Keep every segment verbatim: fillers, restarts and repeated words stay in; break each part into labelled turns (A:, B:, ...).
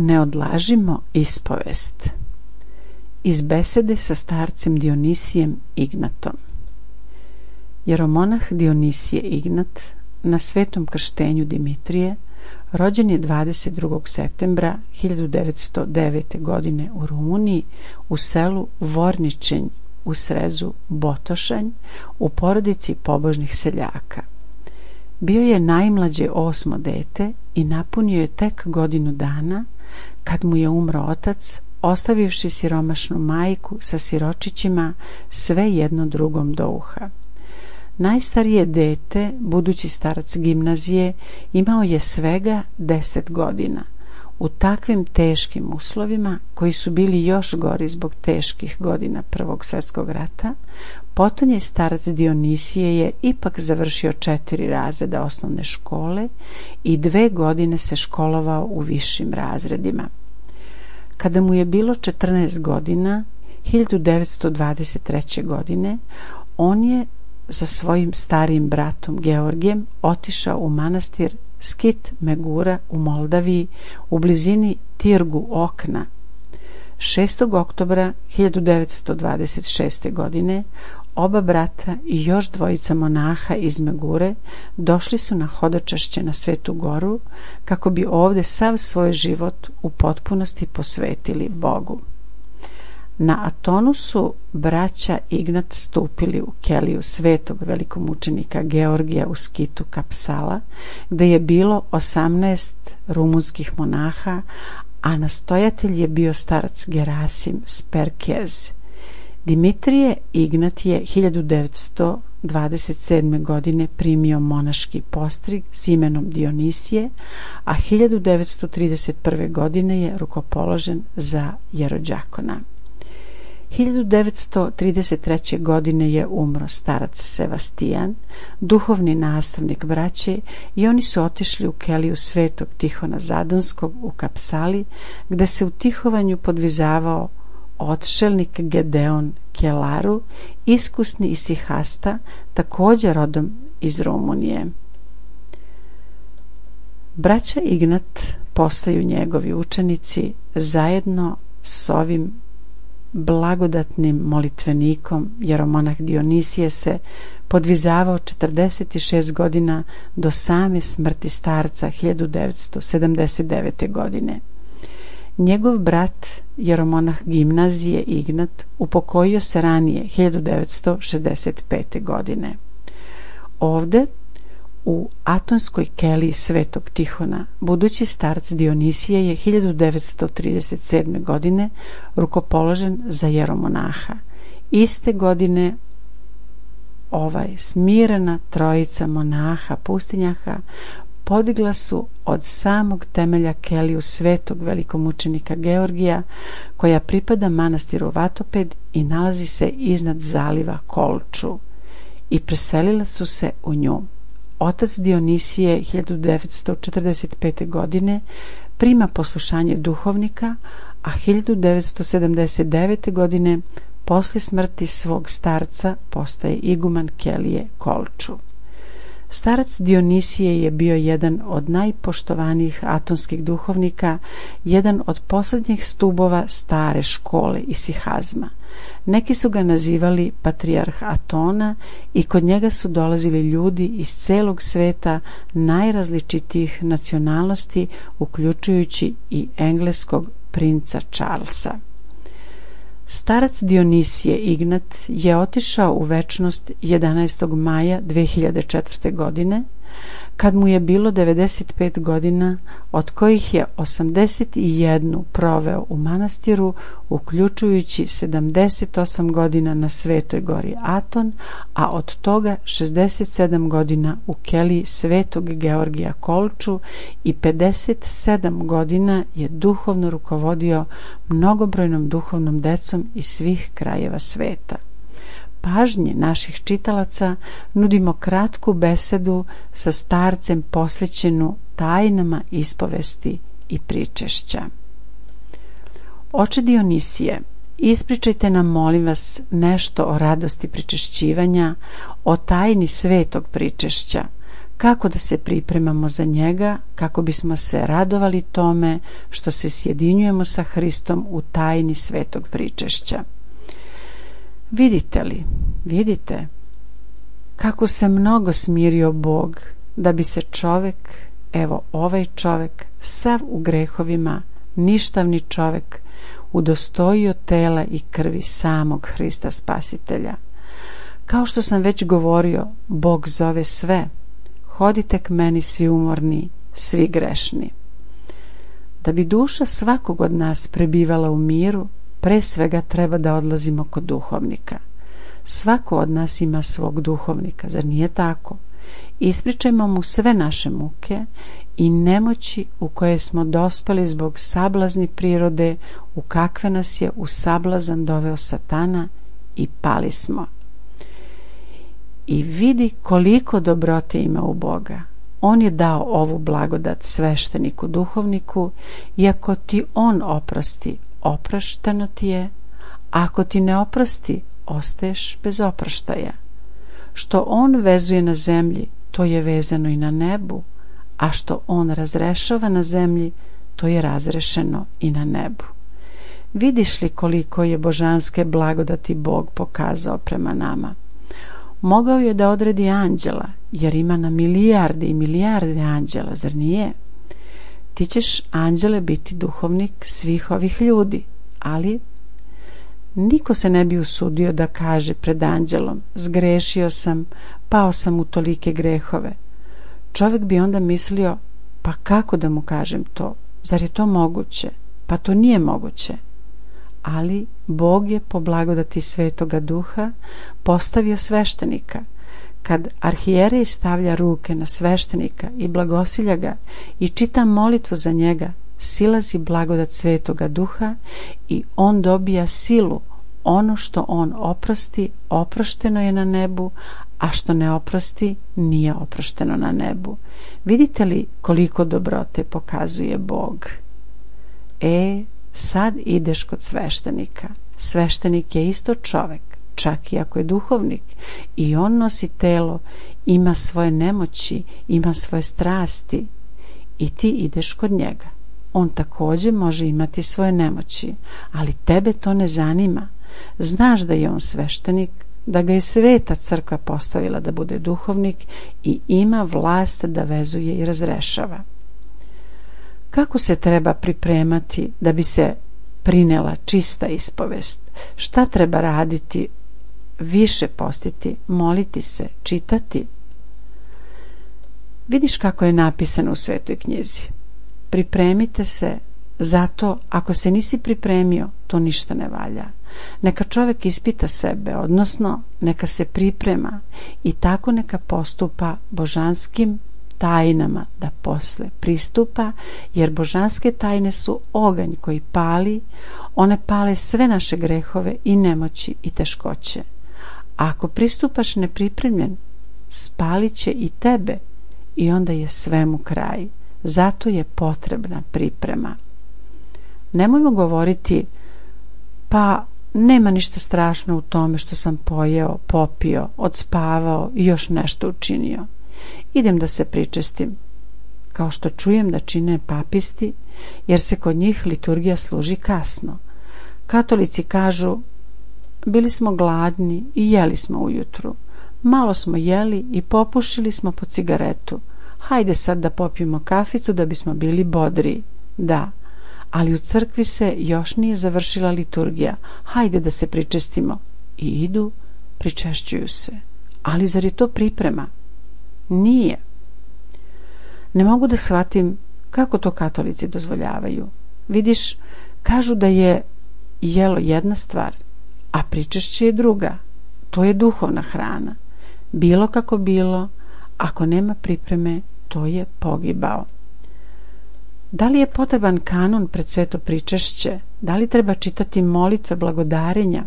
A: Ne odlažimo ispovest. Iz besede sa starcem Dionisijem Ignatom. Jeromonah Dionisije Ignat na svetom krštenju Dimitrije rođen je dvadeset drugog septembra hiljadu devetsto devete. godine u Rumuniji u selu Vorničenj u srezu Botošanj u porodici pobožnih seljaka. Bio je najmlađe osmo dete i napunio je tek godinu dana kad mu je umro otac, ostavivši siromašnu majku sa siročićima, sve jedno drugom do uha. Najstarije dete, budući starac gimnazije, imao je svega deset godina. U takvim teškim uslovima, koji su bili još gori zbog teških godina Prvog svjetskog rata, potonji starac Dionisije je ipak završio četiri razreda osnovne škole i dve godine se školovao u višim razredima. Kada mu je bilo četrnaest godina, hiljadu devetsto dvadeset treće. godine, on je sa svojim starijim bratom Georgijem otišao u manastir Skit Megura u Moldaviji u blizini Tirgu Okna. šestog oktobra hiljadu devetsto dvadeset šeste. godine oba brata i još dvojica monaha iz Megure došli su na hodočašće na Svetu Goru kako bi ovde sav svoj život u potpunosti posvetili Bogu. Na Atonu su braća Ignat stupili u keliju svetog velikomučenika Georgija u Skitu Kapsala, gde je bilo osamnaest rumunskih monaha, a nastojatelj je bio starac Gerasim Sperkez. Dimitrije Ignat je hiljadu devetsto dvadeset sedme. godine primio monaški postrig s imenom Dionisije, a hiljadu devetsto trideset prve. godine je rukopoložen za jerođakona. hiljadu devetsto trideset treće. godine je umro starac Sevastijan, duhovni nastavnik braće, i oni su otišli u keliju svetog Tihona Zadonskog u Kapsali, gde se u tihovanju podvizavao odšelnik Gedeon Kelaru, iskusni isihasta, također rodom iz Rumunije. Braća Ignat postaju njegovi učenici zajedno s ovim blagodatnim molitvenikom. Jeromonah Dionisije se podvizavao četrdeset šest godina do same smrti starca hiljadu devetsto sedamdeset devete. godine. Njegov brat jeromonah gimnazije Ignat upokojio se ranije hiljadu devetsto šezdeset pete. godine. Ovde u Atonskoj keliji svetog Tihona budući starac Dionisije je hiljadu devetsto trideset sedme. godine rukopoložen za jeromonaha. Iste godine ovaj smirena trojica monaha pustinjaka podigla su od samog temelja keliju svetog velikomučenika Georgija, koja pripada manastiru Vatoped i nalazi se iznad zaliva Kolču, i preselila su se u nju. Otac Dionisije hiljadu devetsto četrdeset pete. godine prima poslušanje duhovnika, a hiljadu devetsto sedamdeset devete. godine posle smrti svog starca postaje iguman kelije Kolču. Starac Dionisije je bio jedan od najpoštovanijih atonskih duhovnika, jedan od posljednjih stubova stare škole isihazma. Neki su ga nazivali patrijarh Atona i kod njega su dolazili ljudi iz celog sveta najrazličitijih nacionalnosti, uključujući i engleskog princa Charlesa. Starac Dionisije Ignat je otišao u večnost jedanaestog maja dve hiljade četvrte. godine, kad mu je bilo devedeset pet godina, od kojih je osamdeset jednu proveo u manastiru, uključujući sedamdeset osam godina na Svetoj gori Aton, a od toga šezdeset sedam godina u keliji svetog Georgija Kolču i pedeset sedam godina je duhovno rukovodio mnogobrojnom duhovnom decom iz svih krajeva sveta. Pažnje naših čitalaca nudimo kratku besedu sa starcem posvećenu tajnama ispovesti i pričešća. Oče Dionisije, ispričajte nam, molim vas, nešto o radosti pričešćivanja, o tajni svetog pričešća, kako da se pripremamo za njega, kako bismo se radovali tome što se sjedinjujemo sa Hristom u tajni svetog pričešća. Vidite li, vidite kako se mnogo smirio Bog da bi se čovek, evo ovaj čovek, sav u grehovima, ništavni čovek, udostojio tela i krvi samog Hrista Spasitelja. Kao što sam već govorio, Bog zove sve: hodite k meni svi umorni, svi grešni. Da bi duša svakog od nas prebivala u miru, pre svega treba da odlazimo kod duhovnika. Svako od nas ima svog duhovnika, zar nije tako? Ispričajmo mu sve naše muke i nemoći u koje smo dospeli zbog sablazni prirode, u kakve nas je u sablazan doveo Satana, i pali smo. I vidi koliko dobrote ima u Boga. On je dao ovu blagodat svešteniku duhovniku, i ako ti on oprosti, oprošteno ti je; ako ti ne oprosti, ostaješ bez oproštaja. Što on vezuje na zemlji, to je vezano i na nebu, a što on razrešava na zemlji, to je razrešeno i na nebu. Vidiš li koliko je božanske blagodati Bog pokazao prema nama? Mogao je da odredi anđela, jer ima na milijarde i milijarde anđela, zar nije? Ti ćeš, anđele, biti duhovnik svih ovih ljudi, ali niko se ne bi usudio da kaže pred anđelom: zgrešio sam, pao sam u tolike grehove. Čovjek bi onda mislio: pa kako da mu kažem to? Zar je to moguće? Pa to nije moguće. Ali Bog je po blagodati Svetoga Duha postavio sveštenika. Kad arhijerej stavlja ruke na sveštenika i blagosilja ga i čita molitvu za njega, silazi blagodat Svetoga Duha i on dobija silu. Ono što on oprosti, oprošteno je na nebu, a što ne oprosti, nije oprošteno na nebu. Vidite li koliko dobrote pokazuje Bog? E, sad ideš kod sveštenika. Sveštenik je isto čovek, čak i ako je duhovnik, i on nosi telo, ima svoje nemoći, ima svoje strasti, i ti ideš kod njega. On također može imati svoje nemoći, ali tebe to ne zanima. Znaš da je on sveštenik, da ga je Sveta crkva postavila da bude duhovnik i ima vlast da vezuje i razrešava. Kako se treba pripremati da bi se prinela čista ispovest? Šta treba raditi? Više postiti, moliti se, čitati? Vidiš kako je napisano u Svetoj knjizi: pripremite se, zato ako se nisi pripremio, to ništa ne valja. Neka čovjek ispita sebe, odnosno neka se priprema i tako neka postupa božanskim tajnama da posle pristupa, jer božanske tajne su oganj koji pali. One pale sve naše grehove i nemoći i teškoće. A ako pristupaš nepripremljen, spalit će i tebe i onda je svemu kraj. Zato je potrebna priprema. Nemojmo govoriti: pa nema ništa strašno u tome što sam pojeo, popio, odspavao i još nešto učinio. Idem da se pričestim, kao što čujem da čine papisti, jer se kod njih liturgija služi kasno. Katolici kažu: bili smo gladni i jeli smo ujutru, malo smo jeli i popušili smo po cigaretu, hajde sad da popijemo kaficu da bismo bili bodri. Da, ali u crkvi se još nije završila liturgija, hajde da se pričestimo. I idu, pričešćuju se. Ali zar je to priprema? Nije. Ne mogu da shvatim kako to katolici dozvoljavaju. Vidiš, kažu da je jelo jedna stvar, a pričešće je druga. To je duhovna hrana. Bilo kako bilo, ako nema pripreme, to je pogibao. Da li je potreban kanon pred sveto pričešće? Da li treba čitati molitve blagodarenja?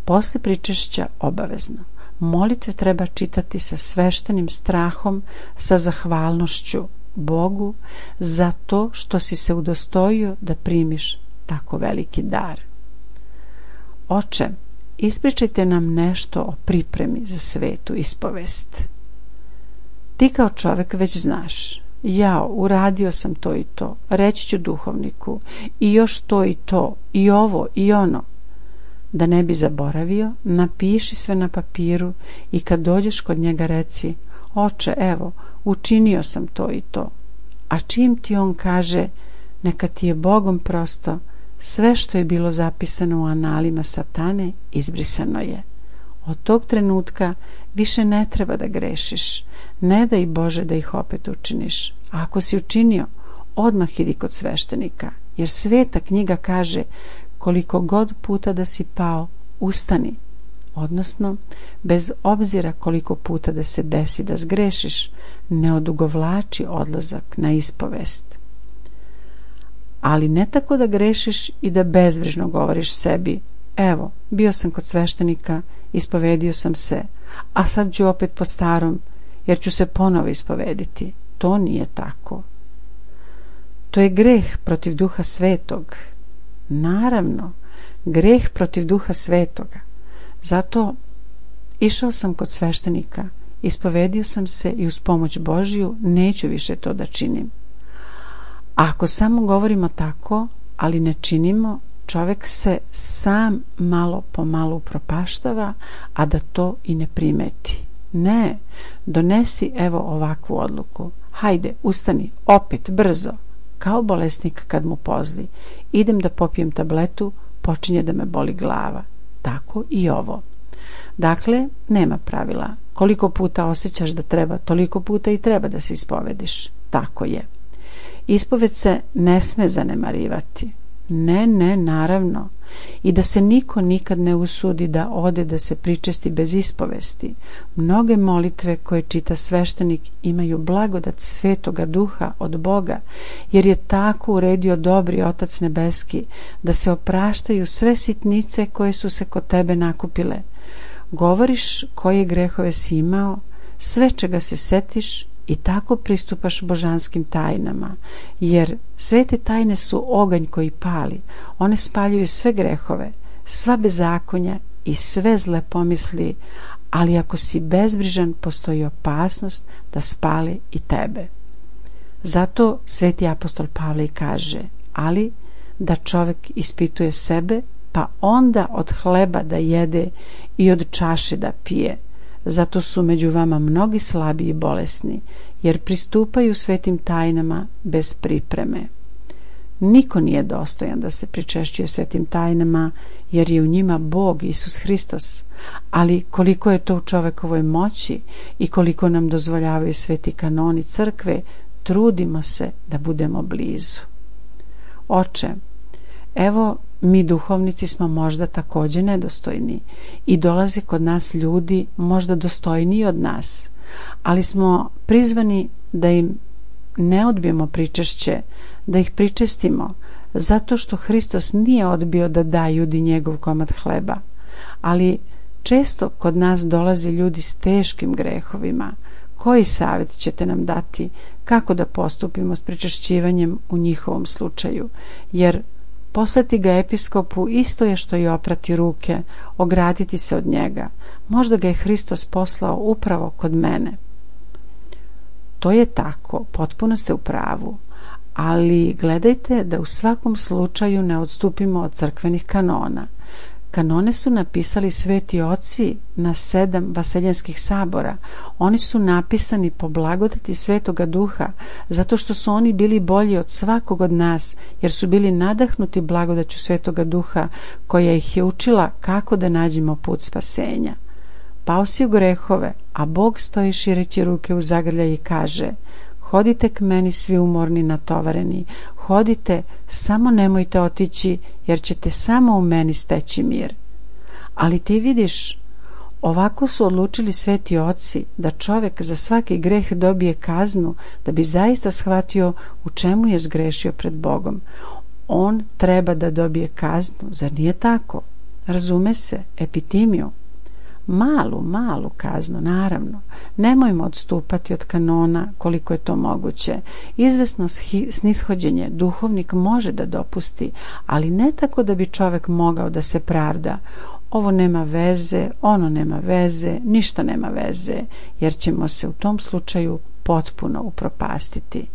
A: Posle pričešća obavezno. Molitve treba čitati sa sveštenim strahom, sa zahvalnošću Bogu za to što si se udostojio da primiš tako veliki dar. Oče, ispričajte nam nešto o pripremi za svetu ispovest. Ti kao čovjek već znaš, jao, uradio sam to i to, reći ću duhovniku i još to i to, i ovo i ono. Da ne bi zaboravio, napiši sve na papiru i kad dođeš kod njega reci: oče, evo, učinio sam to i to. A čim ti on kaže: neka ti je Bogom prosto, sve što je bilo zapisano u analima satane izbrisano je. Od tog trenutka više ne treba da grešiš. Ne daj Bože da ih opet učiniš. A ako si učinio, odmah idi kod sveštenika, jer sveta knjiga kaže: koliko god puta da si pao, ustani. Odnosno, bez obzira koliko puta da se desi da zgrešiš, ne odugovlači odlazak na ispovest. Ali ne tako da grešiš i da bezbrižno govoriš sebi: evo, bio sam kod sveštenika, ispovedio sam se, a sad ću opet po starom, jer ću se ponovo ispovediti. To nije tako. To je greh protiv Duha Svetog. Naravno, greh protiv Duha Svetoga. Zato išao sam kod sveštenika, ispovedio sam se i uz pomoć Božju neću više to da činim. A ako samo govorimo tako, ali ne činimo, čovjek se sam malo po malo upropaštava, a da to i ne primeti. Ne, donesi evo ovakvu odluku. Hajde, ustani, opet, brzo. Kao bolesnik kad mu pozli. Idem da popijem tabletu, počinje da me boli glava. Tako i ovo. Dakle, nema pravila. Koliko puta osjećaš da treba, toliko puta i treba da se ispovediš. Tako je. Ispoved se ne sme zanemarivati. Ne, ne, naravno. I da se niko nikad ne usudi da ode da se pričesti bez ispovesti. Mnoge molitve koje čita sveštenik imaju blagodat Svetoga Duha od Boga, jer je tako uredio dobri Otac Nebeski, da se opraštaju sve sitnice koje su se kod tebe nakupile. Govoriš koje grehove si imao, sve čega se setiš, i tako pristupaš božanskim tajnama, jer svete tajne su oganj koji pali. One spaljuju sve grehove, sva bezakonja i sve zle pomisli, ali ako si bezbrižan, postoji opasnost da spale i tebe. Zato sveti apostol Pavle kaže: ali da čovjek ispituje sebe, pa onda od hleba da jede i od čaše da pije. Zato su među vama mnogi slabi i bolesni, jer pristupaju svetim tajnama bez pripreme. Niko nije dostojan da se pričešćuje svetim tajnama, jer je u njima Bog Isus Hristos, ali koliko je to u čovekovoj moći i koliko nam dozvoljavaju sveti kanoni crkve, trudimo se da budemo blizu. Oče, evo, mi duhovnici smo možda također nedostojni i dolaze kod nas ljudi možda dostojniji od nas, ali smo prizvani da im ne odbijemo pričešće, da ih pričestimo, zato što Hristos nije odbio da da Judi njegov komad hleba. Ali često kod nas dolaze ljudi s teškim grehovima. Koji savjet ćete nam dati kako da postupimo s pričešćivanjem u njihovom slučaju? Jer poslati ga episkopu isto je što i oprati ruke, ograditi se od njega. Možda ga je Hristos poslao upravo kod mene. To je tako, potpuno ste u pravu, ali gledajte da u svakom slučaju ne odstupimo od crkvenih kanona. Kanone su napisali sveti oci na sedam vaseljenskih sabora. Oni su napisani po blagodati Svetoga Duha, zato što su oni bili bolji od svakog od nas, jer su bili nadahnuti blagodaću Svetoga Duha, koja ih je učila kako da nađemo put spasenja. Pao si u grehove, a Bog stoji šireći ruke u zagrljaj i kaže: hodite k meni svi umorni natovareni, hodite, samo nemojte otići, jer ćete samo u meni steći mir. Ali ti vidiš, ovako su odlučili sveti oci, da čovjek za svaki greh dobije kaznu, da bi zaista shvatio u čemu je zgrešio pred Bogom. On treba da dobije kaznu, zar nije tako? Razume se, epitimiju. Malu, malu kaznu, naravno. Nemojmo odstupati od kanona koliko je to moguće. Izvesno snishođenje duhovnik može da dopusti, ali ne tako da bi čovjek mogao da se pravda. Ovo nema veze, ono nema veze, ništa nema veze, jer ćemo se u tom slučaju potpuno upropastiti.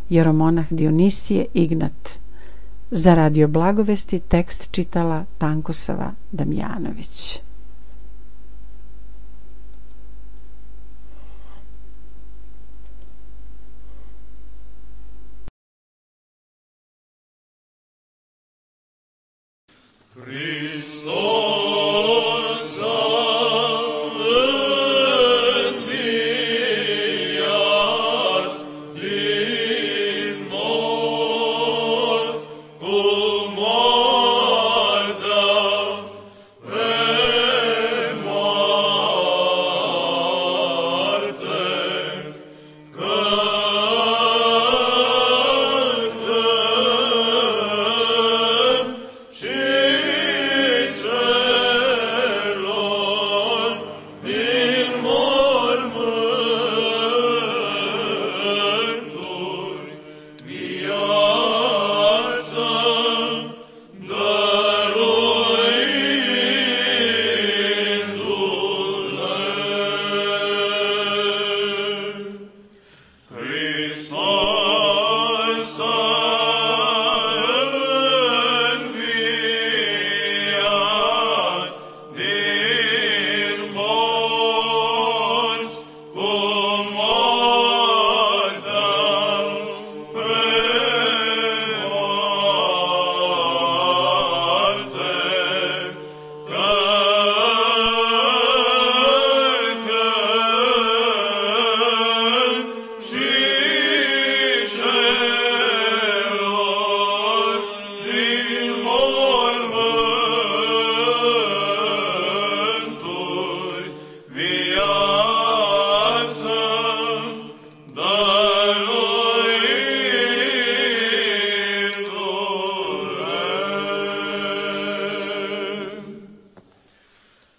A: Jeromonah Dionisije Ignat. Za Radio Blagovesti tekst čitala Tankosava Damjanović.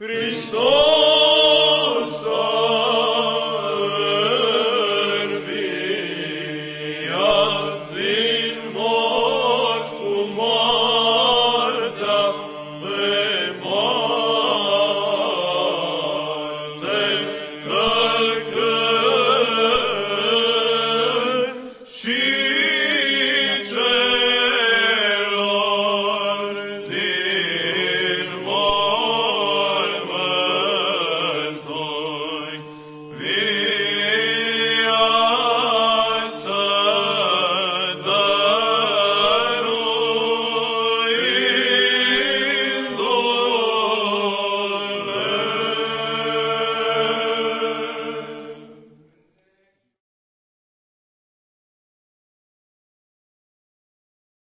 B: Christos